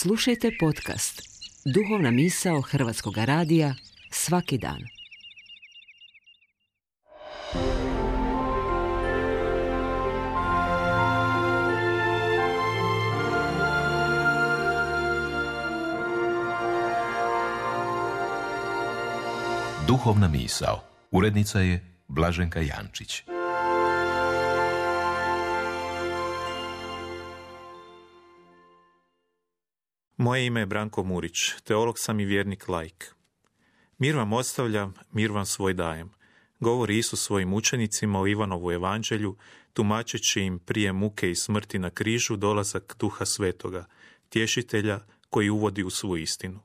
Slušajte podcast Duhovna misao Hrvatskog radija svaki dan. Duhovna misao. Urednica je Blaženka Jančić. Moje ime je Branko Murić, teolog sam i vjernik laik. Mir vam ostavljam, mir vam svoj dajem, govori Isus svojim učenicima u Ivanovu evanđelju, tumačeći im prije muke i smrti na križu dolazak Duha Svetoga, tješitelja koji uvodi u svu istinu.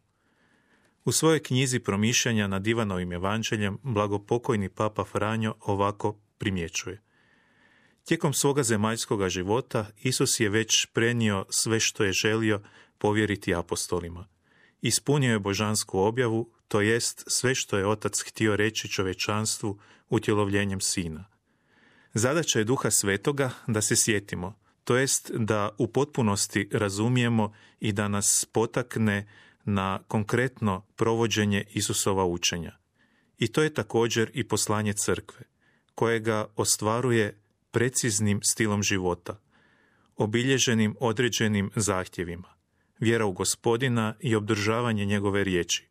U svojoj knjizi promišljanja nad Ivanovim evanđeljem blagopokojni Papa Franjo ovako primjećuje. Tijekom svoga zemaljskoga života Isus je već prenio sve što je želio povjeriti apostolima. Ispunio je božansku objavu, to jest sve što je Otac htio reći čovječanstvu utjelovljenjem Sina. Zadaća je Duha Svetoga da se sjetimo, to jest da u potpunosti razumijemo i da nas potakne na konkretno provođenje Isusova učenja. I to je također i poslanje crkve, kojega ostvaruje preciznim stilom života, obilježenim određenim zahtjevima, vjera u Gospodina i obdržavanje njegove riječi,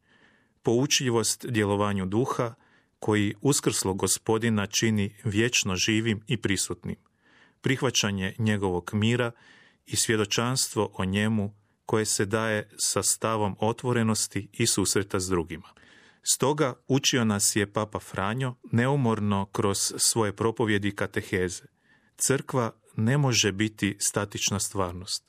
poučljivost djelovanju duha koji uskrslog Gospodina čini vječno živim i prisutnim, prihvaćanje njegovog mira i svjedočanstvo o njemu koje se daje sa stavom otvorenosti i susreta s drugima. Stoga učio nas je Papa Franjo neumorno kroz svoje propovjedi i kateheze. Crkva ne može biti statična stvarnost,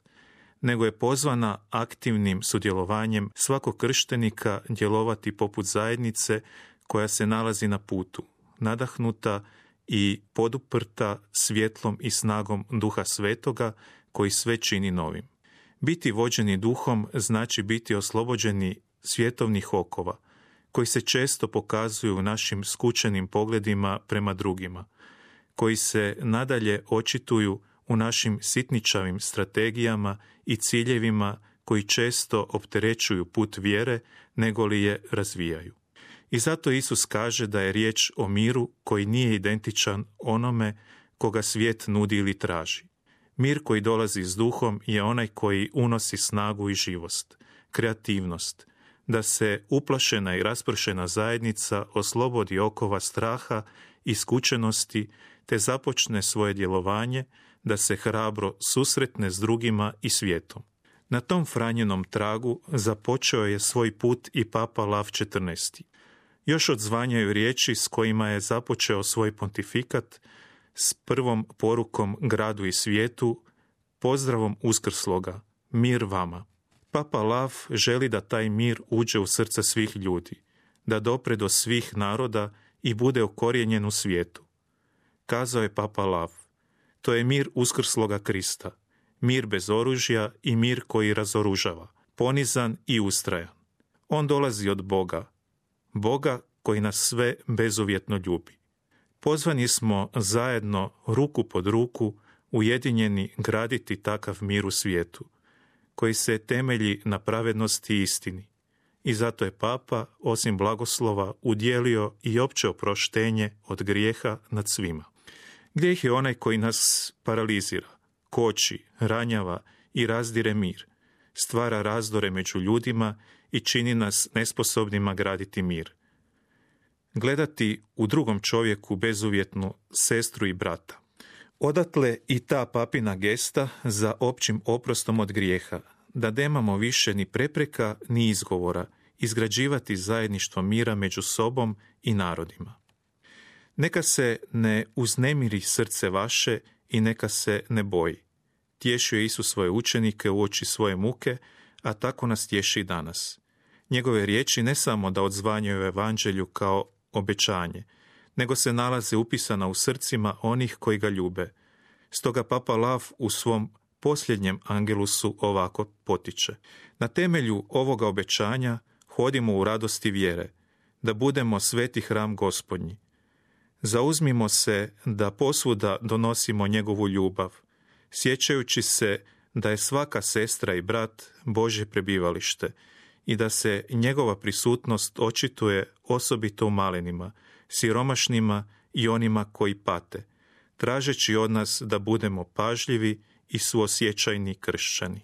nego je pozvana aktivnim sudjelovanjem svakog krštenika djelovati poput zajednice koja se nalazi na putu, nadahnuta i poduprta svjetlom i snagom Duha Svetoga koji sve čini novim. Biti vođeni duhom znači biti oslobođeni svjetovnih okova, koji se često pokazuju u našim skučenim pogledima prema drugima, koji se nadalje očituju u našim sitničavim strategijama i ciljevima koji često opterećuju put vjere nego li je razvijaju. I zato Isus kaže da je riječ o miru koji nije identičan onome koga svijet nudi ili traži. Mir koji dolazi s duhom je onaj koji unosi snagu i živost, kreativnost, da se uplašena i raspršena zajednica oslobodi okova straha i skučenosti te započne svoje djelovanje da se hrabro susretne s drugima i svijetom. Na tom Franjenom tragu započeo je svoj put i Papa Lav XIV. Još odzvanjaju riječi s kojima je započeo svoj pontifikat s prvom porukom gradu i svijetu, pozdravom uskrsloga, mir vama. Papa Lav želi da taj mir uđe u srca svih ljudi, da dopre do svih naroda i bude ukorijenjen u svijetu. Kazao je Papa Lav, to je mir uskrsloga Krista, mir bez oružja i mir koji razoružava, ponizan i ustrajan. On dolazi od Boga, Boga koji nas sve bezuvjetno ljubi. Pozvani smo zajedno, ruku pod ruku, ujedinjeni graditi takav mir u svijetu, koji se temelji na pravednosti i istini. I zato je Papa, osim blagoslova, udjelio i opće oproštenje od grijeha nad svima. Grijeh je onaj koji nas paralizira, koči, ranjava i razdire mir, stvara razdore među ljudima i čini nas nesposobnima graditi mir. Gledati u drugom čovjeku bezuvjetnu sestru i brata. Odatle i ta papina gesta za općim oprostom od grijeha, da nemamo više ni prepreka ni izgovora izgrađivati zajedništvo mira među sobom i narodima. Neka se ne uznemiri srce vaše i neka se ne boji. Tješio je Isus svoje učenike uoči svoje muke, a tako nas tješi i danas. Njegove riječi ne samo da odzvanjaju evanđelju kao obećanje, nego se nalaze upisana u srcima onih koji ga ljube. Stoga Papa Lav u svom posljednjem angelusu ovako potiče. Na temelju ovoga obećanja hodimo u radosti vjere, da budemo sveti hram Gospodnji. Zauzmimo se da posvuda donosimo njegovu ljubav, sjećajući se da je svaka sestra i brat Božje prebivalište i da se njegova prisutnost očituje osobito u malinima, siromašnima i onima koji pate, tražeći od nas da budemo pažljivi i suosjećajni kršćani.